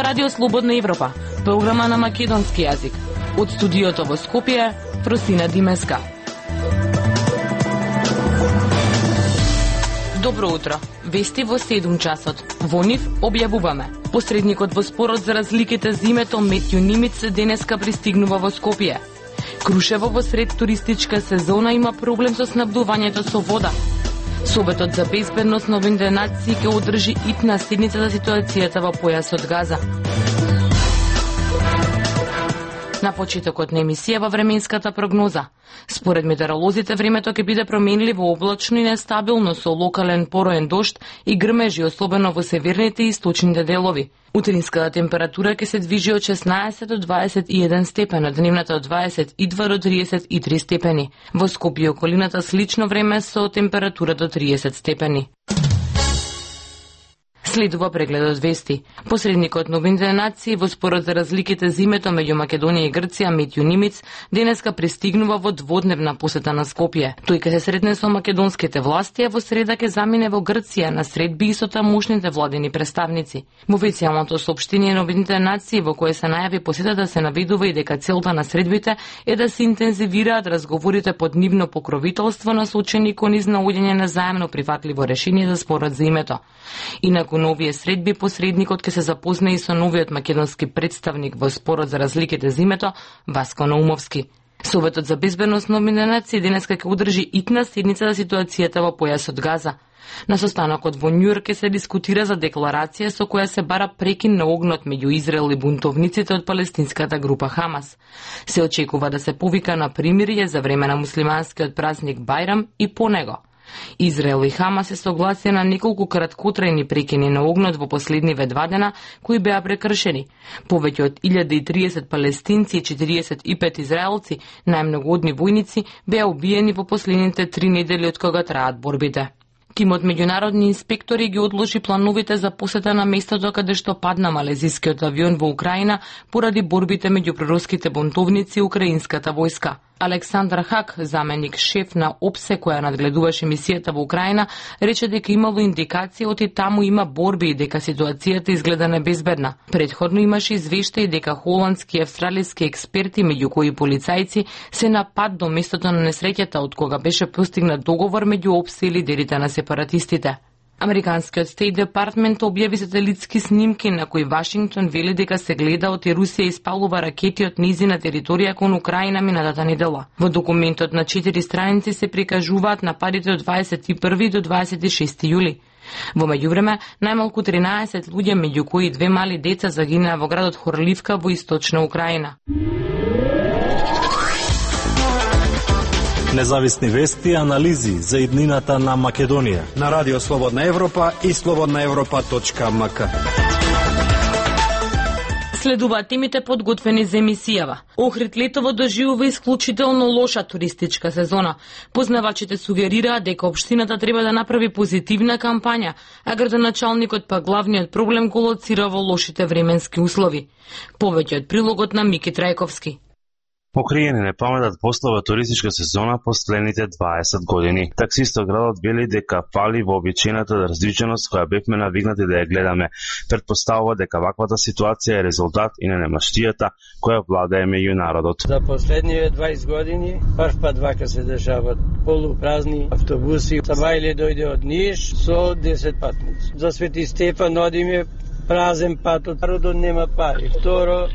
Радио Слободна Европа, програма на македонски јазик. Од студиото во Скопје, Просина Димеска. Добро утро. Вести во 7 часот. Во нив објавуваме. Посредникот во спорот за разликите за името Метју Нимиц денеска пристигнува во Скопје. Крушево во сред туристичка сезона има проблем со снабдувањето со вода. Советот за безбедност на Обединетите нации ќе одржи итна седница за ситуацијата во појасот Газа. На почетокот на емисија временската прогноза. Според метеоролозите времето ќе биде променливо, облачно и нестабилно со локален пороен дожд и грмежи, особено во северните и источните делови. Утринската температура ќе се движи од 16 до 21 степени, дневната од 22 до 33 степени. Во Скопје и околината слично време со температура до 30 степени. Следува прегледот вести. Посредникот на Обединетите нации во спорот за разликите за името меѓу Македонија и Грција Метју Нимиц денеска пристигнува во дводневна посета на Скопје. Тој ќе се сретне со македонските власти, а во среда ќе замине во Грција на средби и со тамошните владени представници. Во официјалното соопштение на Обединетите нации во кое се најави посетата се наведува и дека целта на средбите е да се интензивираат разговорите под нивно покровителство насочени кон изнаоѓање на заемно прифатливо решение за спорот за името. Инаку на овие средби посредникот ќе се запозна и со новиот македонски представник во спорот за разликите за името Васко Наумовски. Советот за безбедност на Обединетите нации денеска ќе одржи итна седница за ситуацијата во појасот Газа. На состанокот во Њујорк ќе се дискутира за декларација со која се бара прекин на огнот меѓу Израел и бунтовниците од палестинската група Хамас. Се очекува да се повика на примирие за време на муслиманскиот празник Бајрам и по него. Израел и Хамас се согласија на неколку краткотрајни прекини на огнот во последниве 2 дена, кои беа прекршени. Повеќе од 1030 палестинци и 45 израелци, најмногу одни војници, беа убиени во последните 3 недели од кога траат борбите. Тимот меѓународни инспектори ги одложи плановите за посета на местото каде што падна малезискиот авион во Украина поради борбите меѓу проруските бунтовници и украинската војска. Александар Хак, заменик шеф на ОПСЕ која надгледуваше мисијата во Украина, рече дека имало индикација оти таму има борби и дека ситуацијата изгледа небезбедна. Предходно имаше извештаи дека холандски и австралиски експерти, меѓу кои полицајци, се на пат до местото на несреќата од кога беше постигнат договор меѓу ОПСЕ и лидерите на сепаратистите. Американскиот Стейт Департмент објави сателитски снимки на кои Вашингтон вели дека се гледа од Русија испалува ракети од низина територија кон Украина минатата недела. Во документот на 4 страници се прикажуваат нападите од 21 до 26 јули. Во меѓувреме, најмалку 13 луѓе, меѓу кои 2 мали деца, загинаа во градот Хорливка во источна Украина. Независни вести и анализи за иднината на Македонија на Радио Слободна Европа и slobodnaevropa.mk. Следуваат темите подготвени за емисијава. Охрид Летово доживува исклучително лоша туристичка сезона. Познавачите сугерираат дека општината треба да направи позитивна кампања, а градоначалникот па главниот проблем го лоцира во лошите временски услови. Повеќе од прилогот на Мики Трајковски. Покриени не паметат послова туристичка сезона последните 20 години. Таксистот градот вели дека фали во обичајната различеност која бевме навигнати да ја гледаме. Предпоставува дека ваквата ситуација е резултат и на немаштијата која владее меѓу народот. За последниве 20 години прв пат вака се дешават полупразни автобуси. Сабајле дојде од Ниш со 10 патници. За Свети Стефан одиме празен пат, од народот нема пари. Второ,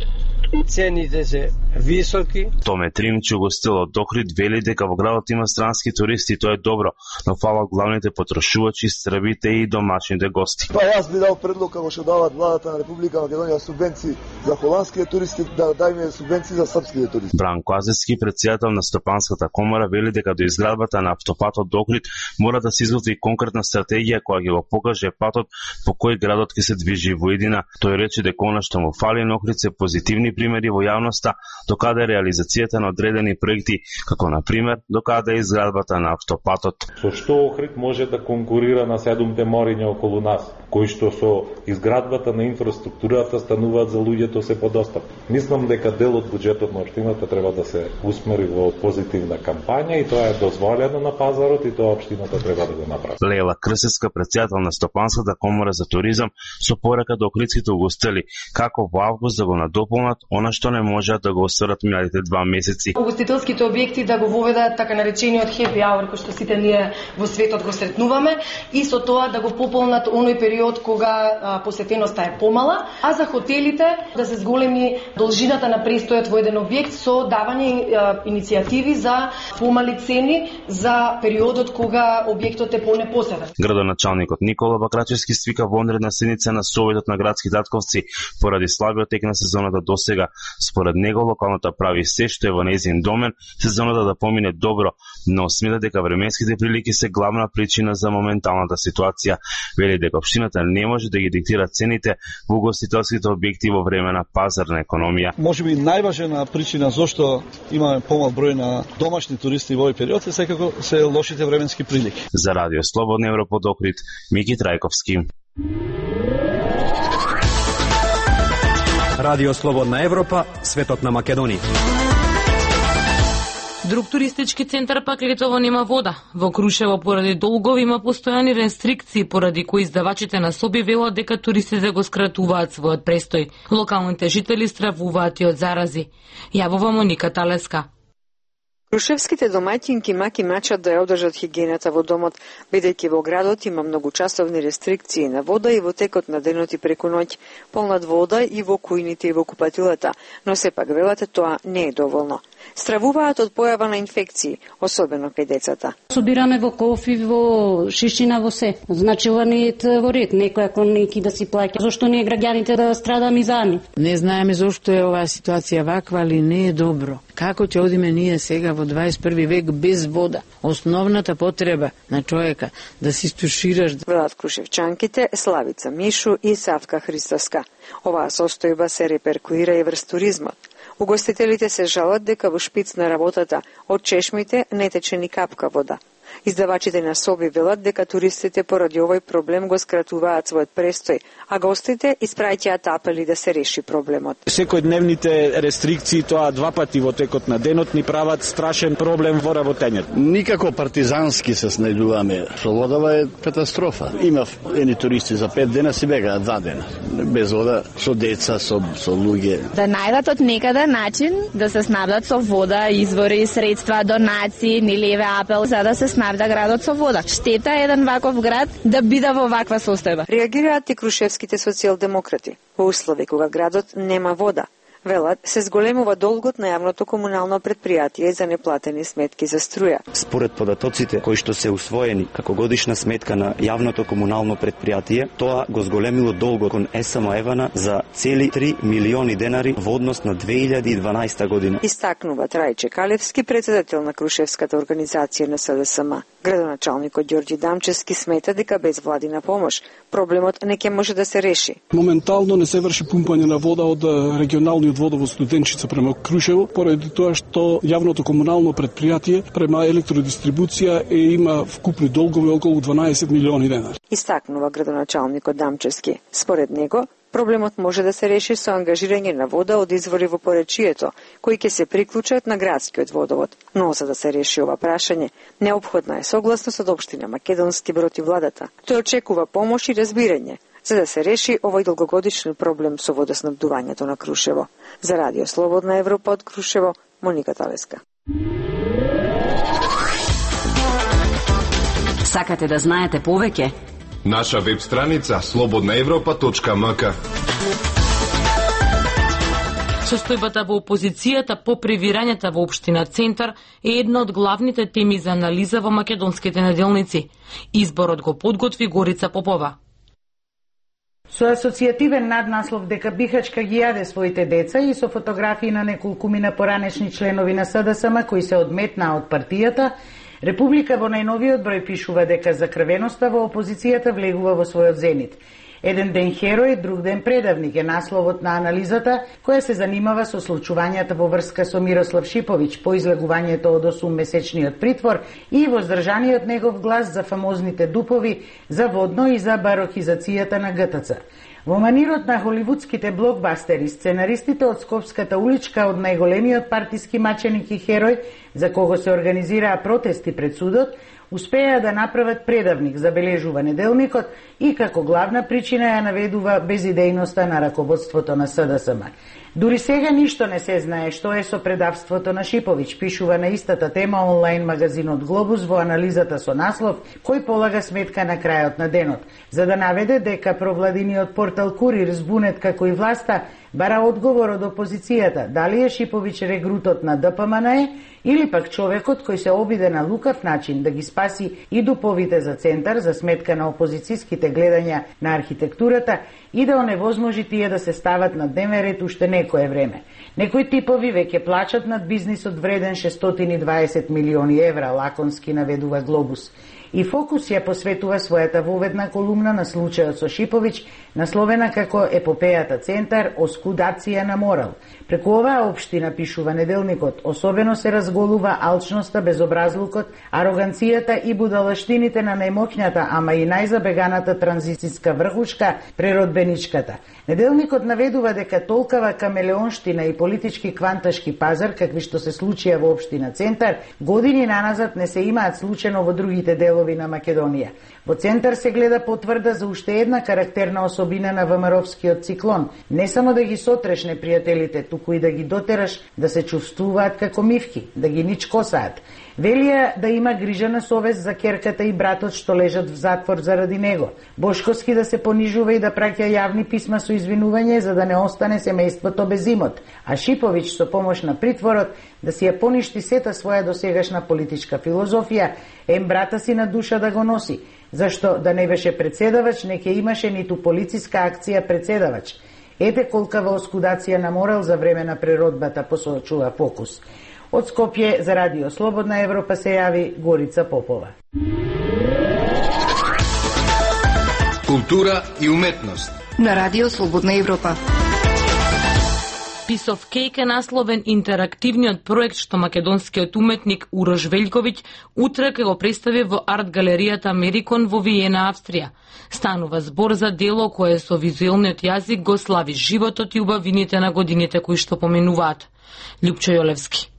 цените се високи. Томе Тримчу гостил од Охрид вели дека во градот има странски туристи, тоа е добро, но фала главните потрошувачи, србите и домашните гости. Па јас би дал предлог како што дават владата на Република Македонија субвенции за холандските туристи, да дајме субвенции за српските туристи. Бранко Азевски, претседател на Стопанската комора, вели дека до изградбата на автопатот до Охрид мора да се изготви конкретна стратегија која ќе го покаже патот по кој градот ќе се движи во иднина. Тој рече дека она што му фали на Охрид се позитивни бројни примери во јавноста докаде реализацијата на одредени проекти, како на пример докаде изградбата на автопатот. Со што Охрид може да конкурира на 7 мориња околу нас, кои што со изградбата на инфраструктурата стануваат за луѓето се подостапни. Мислам дека дел од буџетот на општината треба да се усмери во позитивна кампања и тоа е дозволено на пазарот и тоа општината треба да го направи. Лела Крсевска, претседател на Стопанската комора за туризам, со порака до охридските угостители како во август да го надополнат она што не можеат да го осварат минатите 2 месеци. Угостителските објекти да го воведат така наречениот happy hour кој што сите ние во светот го сретнуваме и со тоа да го пополнат оној период кога посетеноста е помала, а за хотелите да се зголеми должината на престојот во еден објект со давање иницијативи за помали цени за периодот кога објектот е понепоседен. Градоначалникот Никола Бакрачевски свика вонредна седница на Советот на градски татковци поради слабиот тек на сезоната досега. Според него локалната прави се што е во нејзин домен сезоната да помине добро, но смета дека временските прилики се главна причина за моменталната ситуација. Вели дека општината не може да ги диктира цените во угостителските објекти во време на пазарна економија. Можеби најважна причина зошто имаме помал број на домашни туристи во овој период е секако се лошите временски прилики. За Радио Слободна Европа од Охрид, Мики Трајковски. Радио Слободна Европа, светот на Македонија. Друг туристички центар пак летово нема вода. Во Крушево поради долгови има постојани рестрикции, поради кои издавачите на соби велат дека туристите го скратуваат својот престој. Локалните жители стравуваат и од зарази. Јавува Моника Талеска. Крушевските домаќинки маки мачат да ја одржат хигиената во домот, бидејќи во градот има многучасовни рестрикции на вода и во текот на денот и преку ноќ, полнат вода и во кујните и во купатилата, но сепак велате тоа не е доволно. Стравуваат од појава на инфекции, особено кај децата. Собираме во кофи, во шишина, во се. Значи ова не е во ред, некој ако неки да си плаќа. Зошто ние граѓаните да страдаме за нив? Не знаеме зошто е оваа ситуација ваква, али не е добро. Како ќе одиме ние сега во 21 век без вода? Основната потреба на човека да се истушираш. Велат крушевчанките Славица Мишу и Савка Христоска. Оваа состојба се реперкуира и врз туризмот. Угостителите се жалат дека во шпиц на работата од чешмите не тече ни капка вода. Издавачите на соби велат дека туристите поради овој проблем го скратуваат својот престој, а гостите испраќаат апели да се реши проблемот. Секојдневните рестрикции, тоа 2 пати во текот на денот, ни прават страшен проблем во работењето. Никако партизански се снајдуваме. Со водава е катастрофа. Имав едни туристи за 5 дена си бегаат 2 дена. Без вода, со деца, со луѓе. Да најдат од некаде начин да се снабдат со вода, извори, средства, донации, ни леве апел, за да се снабда градот со вода. Штета е еден ваков град да биде во ваква состојба. Реагираат и крушевските социјалдемократи. Во услови кога градот нема вода, велат, се зголемува долгот на јавното комунално предпријатие за неплатени сметки за струја. Според податоците кои што се усвоени како годишна сметка на јавното комунално предпријатие, тоа го зголемило долгот кон СМ Евана за цели 3 милиони денари во однос на 2012 година. Истакнува Трајче Калевски, претседател на Крушевската организација на СДСМ. Градоначалникот Ѓорѓи Дамчевски смета дека без владина помош проблемот не ќе може да се реши. Моментално не се врши пумпање на вода од регионалниот водовод Студенчица према Крушево, поради тоа што јавното комунално предпријатие према електродистрибуција има вкупни долгови околу 12 милиони денари. Истакнува градоначалникот Дамчевски. Според него, проблемот може да се реши со ангажирање на вода од извори во поречието, кои ќе се приклучат на градскиот водовод. Но за да се реши ова прашање, неопходна е согласност од општина Македонски Брод и владата. Тој очекува помош и разбирање, за да се реши овој долгогодишен проблем со водоснабдувањето на Крушево. За Радио Слободна Европа од Крушево, Моника Талеска. Сакате да знаете повеќе? Наша веб страница slobodnaevropa.mk. Состојбата во опозицијата по превирањата во општина Центар е една од главните теми за анализа во македонските неделници. Изборот го подготви Горица Попова. Со асоцијативен наднаслов дека Бихачка ги јаде своите деца и со фотографии на неколкумина поранешни членови на СДСМ кои се одметнаа од партијата, Република во најновиот број пишува дека закрвеноста во опозицијата влегува во својот зенит. Еден ден херој, друг ден предавник е насловот на анализата која се занимава со случувањата во врска со Мирослав Шиповиќ по излегувањето од 8-месечниот притвор и воздржаниот негов глас за фамозните дупови, за водно и за барохизацијата на ГТЦ. Во манирот на холивудските блокбастери, сценаристите од Скопската уличка од најголемиот партиски маченик и херој, за кого се организираа протести пред судот, успеа да направат предавник, забележува неделникот, и како главна причина ја наведува безидејноста на раководството на СДСМ. Дури сега ништо не се знае што е со предавството на Шиповиќ, пишува на истата тема онлайн магазинот Глобус во анализата со наслов кој полага сметка на крајот на денот, за да наведе дека провладиниот портал Курир збунет како и власта бара одговор од опозицијата, дали е Шиповиќ регрутот на ДПМНЕ или пак човекот кој се обиде на лукав начин да ги спаси и дуповите за центар за сметка на опозицијските гледања на архитектурата и да оневозможи тие да се стават на дневен ред уште некое време. Некои типови веќе плачат над бизнисот вреден 620 милиони евра, лаконски наведува Глобус. И Фокус ја посветува својата воведна колумна на случајот со Шиповиќ, насловена како епопејата Центар, оскудација на морал. Преку оваа општина, пишува неделникот, особено се разголува алчноста, безобразлукот, ароганцијата и будалаштините на најмоќната, ама и најзабеганата транзицијска врхушка, преродбеничката. Неделникот наведува дека толкава камелеонштина и политички кванташки пазар, какви што се случија во општина Центар, години наназад не се имаат случено во другите делови на Македонија. Во Центар се гледа потврда за уште една карактерна особина на ВМРО-вскиот циклон, не само да ги сотреш непријателите, туку и да ги дотераш да се чувствуваат како мивки, да ги ничкосаат. Велија да има грижа на совест за керката и братот што лежат в затвор заради него. Бошковски да се понижува и да праќа јавни писма со извинување за да не остане семејството без имот, а Шиповиќ со помош на притворот да си ја поништи сета своја досегашна политичка филозофија, брата си на душа да го носи, зашто да не беше председавач, не ке имаше ниту полициска акција председавач. Ете колкава оскудација на морал за време на преродбата, посочува Фокус. Од Скопје за Радио Слободна Европа се јави Горица Попова. Култура и уметност на Радио Слободна Европа. Piece of Cake е насловен интерактивниот проект што македонскиот уметник Урош Велјковиќ утре ќе го представи во арт галеријата Америкон во Виена, Австрија. Станува збор за дело кое со визуелниот јазик го слави животот и убавините на годините кои што поминуваат. Љупчо Јолевски.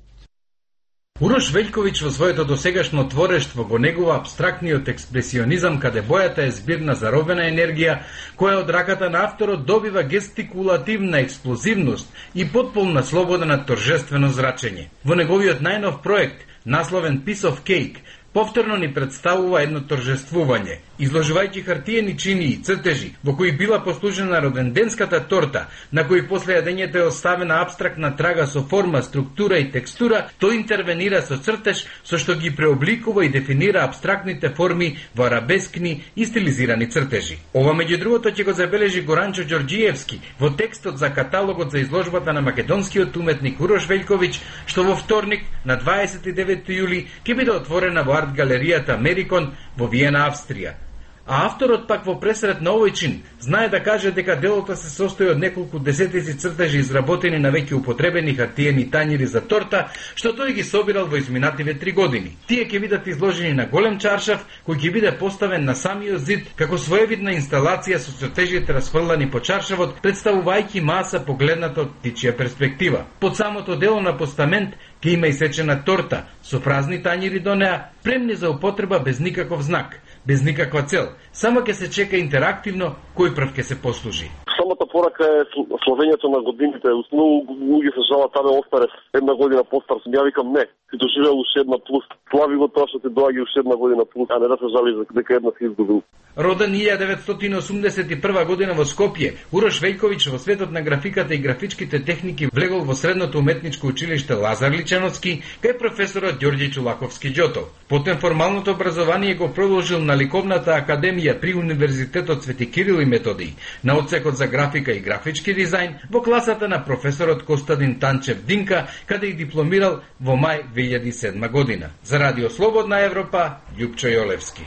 Урош Велјковиќ во своето досегашно творештво го негува абстрактниот експресионизам, каде бојата е збир на заробена енергија, која од раката на авторот добива гестикулативна експлозивност и потполна слобода на торжествено зрачење. Во неговиот најнов проект, насловен Piece of Cake, повторно ни представува едно торжествување, изложувајќи хартиени чини и цртежи, во кои била послужена роденденската торта, на кој после јадењето е оставена абстрактна трага со форма, структура и текстура, тој интервенира со цртеж, со што ги преобликува и дефинира абстрактните форми во арабескни и стилизирани цртежи. Ова меѓу другото ќе го забележи Горанчо Ѓорѓиевски во текстот за каталогот за изложбата на македонскиот уметник Урош Велјковиќ, што во вторник на 29 јули ќе биде отворена во арт галеријата Америкон во Виена, Австрија. А авторот пак во пресрет на овој чин знае да каже дека делото се состои од неколку десетици цртежи изработени на веќе употребени хартиени тањири за торта, што тој ги собирал во изминативе 3 години. Тие ќе бидат изложени на голем чаршаф, кој ќе биде поставен на самиот зид како своевидна инсталација со цртежите расфрлани по чаршавот, представувајќи маса погледната од птичја перспектива. Под самото дело на постамент ќе има исечена торта со празни тањири до неа, премни за употреба без никаков знак, без никаква цел. Само ќе се чека интерактивно кој прв ќе се послужи. Самата порака е словењето на годините. Многу луѓе се жалат, абе остаре една година постар. Ја викам не, ти доживеал уште една плюс. Слави го тоа што ти доаѓа уште една година плюс, а не да се жали дека една си изгубил. Роден 1981 година во Скопје, Урош Велјковиќ во светот на графиката и графичките техники влегол во средното уметничко училиште Лазар Личановски кај професорот Ѓорѓе Чулаковски Ѓотов. Потем формалното образование го продолжил на Ликовната академија при Универзитетот Свети Кирил и Методиј, на одсекот за графика и графички дизајн во класата на професорот Костадин Танчев Динка, каде и дипломирал во мај 2007 година. За Радио Слободна Европа, Љупчо Јолевски.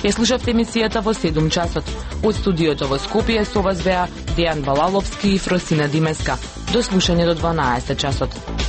Ја слушавте емисијата во 7 часот. Од студиото во Скопје со вас беа Дејан Балаловски и Фросина Димеска. До слушање до 12 часот.